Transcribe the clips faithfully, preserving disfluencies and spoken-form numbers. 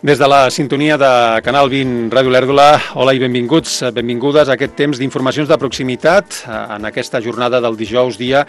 Des de la sintonia de Canal vint Ràdio Olèrdola, hola i benvinguts, benvingudes a aquest temps d'informacions de proximitat en aquesta jornada del dijous dia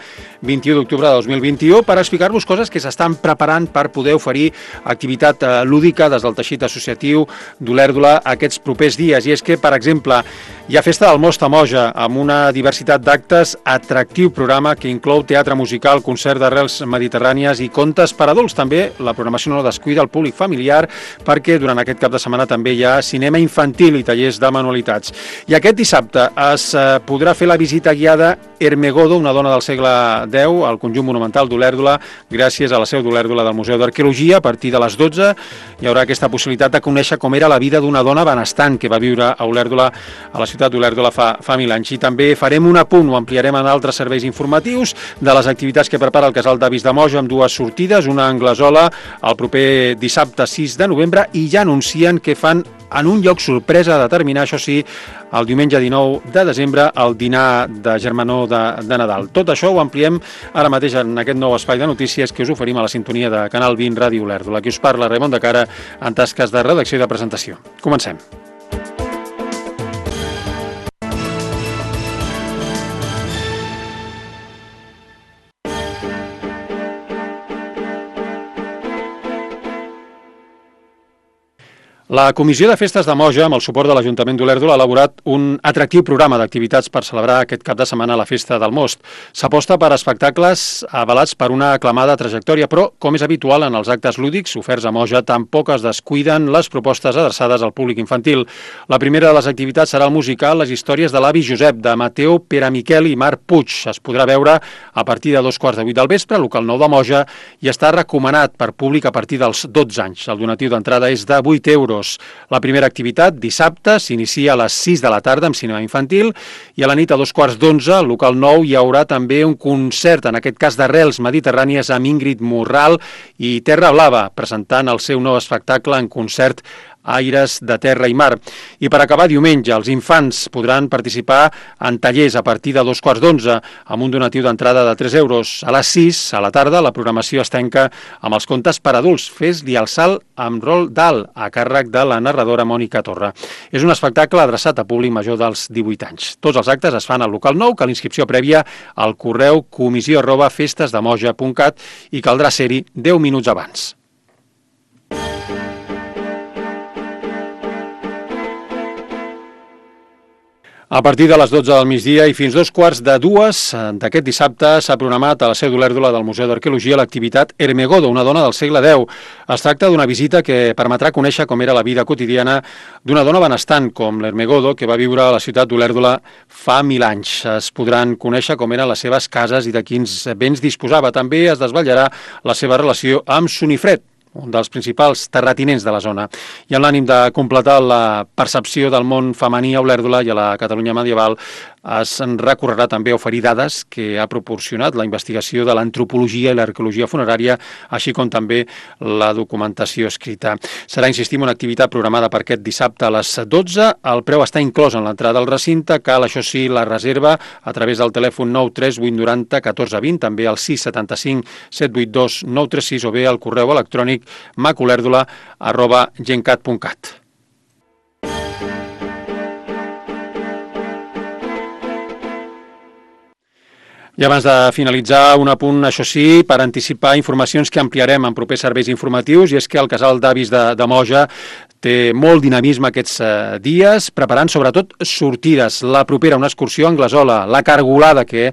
vint-i-u d'octubre de dos mil vint-i-u per explicar-vos coses que s'estan preparant per poder oferir activitat lúdica des del teixit associatiu d'Olèrdola aquests propers dies. I és que, per exemple, hi ha Festa del Most a Moja amb una diversitat d'actes, atractiu programa que inclou teatre musical, concert d'arrels mediterrànies i contes per adults. També la programació no descuida el públic familiar perquè que durant aquest cap de setmana també hi ha cinema infantil i tallers de manualitats. I aquest dissabte es podrà fer la visita guiada Ermegodo, una dona del segle deu, al conjunt monumental d'Olèrdola, gràcies a la seu d'Olèrdola del Museu d'Arqueologia. A partir de les dotze hi haurà aquesta possibilitat de conèixer com era la vida d'una dona benestant que va viure a Olèrdola, a la ciutat d'Olèrdola fa, fa mil anys. I també farem un apunt, ho ampliarem en altres serveis informatius, de les activitats que prepara el Casal d'Avis de Moja amb dues sortides, una a Anglesola el proper dissabte sis de novembre, i ja anuncien que fan en un lloc sorpresa a determinar, això sí, el diumenge dinou de desembre, el dinar de germanor de, de Nadal. Tot això ho ampliem ara mateix en aquest nou espai de notícies que us oferim a la sintonia de Canal vint Ràdio Olèrdola. Aquí us parla Raimon de Cara en tasques de redacció i de presentació. Comencem. La Comissió de Festes de Moja, amb el suport de l'Ajuntament d'Olèrdola, ha elaborat un atractiu programa d'activitats per celebrar aquest cap de setmana la Festa del Most. S'aposta per espectacles avalats per una aclamada trajectòria, però, com és habitual en els actes lúdics oferts a Moja, tampoc es descuiden les propostes adreçades al públic infantil. La primera de les activitats serà el musical Les històries de l'avi Josep, de Mateu Peramiquel i Marc Puig. Es podrà veure a partir de dos quarts de vuit del vespre, al local nou de Moja, i està recomanat per públic a partir dels dotze anys. El donatiu d'entrada és de vuit euros. La primera activitat, dissabte, s'inicia a les sis de la tarda amb cinema infantil i a la nit a dos quarts d'onze, al local nou, hi haurà també un concert, en aquest cas d'arrels mediterrànies, amb Ingrid Morral i Terra Blava, presentant el seu nou espectacle en concert Aires de Terra i Mar. I per acabar, diumenge, els infants podran participar en tallers a partir de dos quarts d'onze, amb un donatiu d'entrada de tres euros. A les sis, a la tarda, la programació es tanca amb els contes per adults, Fes-li el salt amb rol d'alt, a càrrec de la narradora Mònica Torra. És un espectacle adreçat a públic major dels divuit anys. Tots els actes es fan al local nou, que l'inscripció prèvia al correu comissió arroba festesdemoja punt cat i caldrà ser-hi deu minuts abans. A partir de les dotze del migdia i fins dos quarts de dues d'aquest dissabte s'ha programat a la seu d'Olèrdola del Museu d'Arqueologia l'activitat Ermegodo, una dona del segle deu. Es tracta d'una visita que permetrà conèixer com era la vida quotidiana d'una dona benestant com l'Ermegodo, que va viure a la ciutat d'Olèrdola fa mil anys. Es podran conèixer com eren les seves cases i de quins béns disposava. També es desvetllarà la seva relació amb Sonifred, un dels principals terratinents de la zona. I amb l'ànim de completar la percepció del món femení a Olèrdola i a la Catalunya medieval, es recorrerà també a oferir dades que ha proporcionat la investigació de l'antropologia i l'arqueologia funerària, així com també la documentació escrita. Serà, insistim, una activitat programada per aquest dissabte a les dotze. El preu està inclòs en l'entrada al recinte. Cal, això sí, la reserva a través del telèfon nou tres vuit nou zero un quatre dos zero, també al sis set cinc set vuit dos nou tres sis o bé al correu electrònic macolèrdola arroba gencat punt cat. I abans de finalitzar, un apunt, això sí, per anticipar informacions que ampliarem en propers serveis informatius, i és que el Casal d'Avis de, de Moja té molt dinamisme aquests eh, dies, preparant sobretot sortides. La propera, una excursió a Anglesola, la Cargolada, que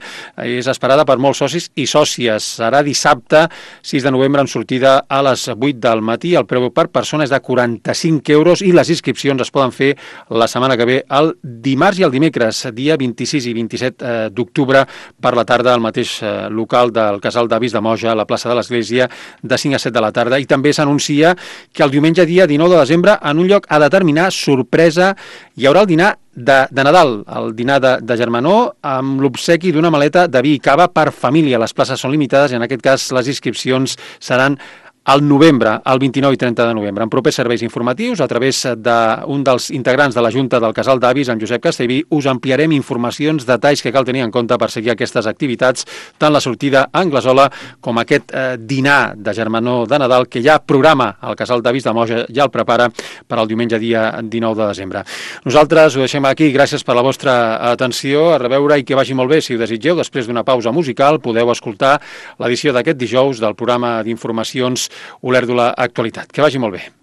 és esperada per molts socis i sòcies. Serà dissabte, sis de novembre, amb sortida a les vuit del matí. El preu per persona és de quaranta-cinc euros i les inscripcions es poden fer la setmana que ve, el dimarts i el dimecres, dia vint-i-sis i vint-i-set d'octubre, per la tarda al mateix eh, local del Casal d'Avis de Moja, a la plaça de l'Església, de cinc a set de la tarda. I també s'anuncia que el diumenge, dia dinou de desembre, en un lloc a determinar, sorpresa, hi haurà el dinar de, de Nadal, el dinar de, de germanor, amb l'obsequi d'una maleta de vi i cava per família. Les places són limitades i en aquest cas les inscripcions seran al novembre, el vint-i-nou i trenta de novembre, en propers serveis informatius, a través d'un dels integrants de la Junta del Casal d'Avis, en Josep Castellví, us ampliarem informacions, detalls que cal tenir en compte per seguir aquestes activitats, tant la sortida a Anglesola com aquest eh, dinar de germanor de Nadal que ja programa el Casal d'Avis de Moja, ja el prepara per al diumenge dia dinou de desembre. Nosaltres ho deixem aquí, gràcies per la vostra atenció, a reveure i que vagi molt bé. Si ho desitgeu, després d'una pausa musical, podeu escoltar l'edició d'aquest dijous del programa d'informacions Olèrdola Actualitat. Que vagi molt bé.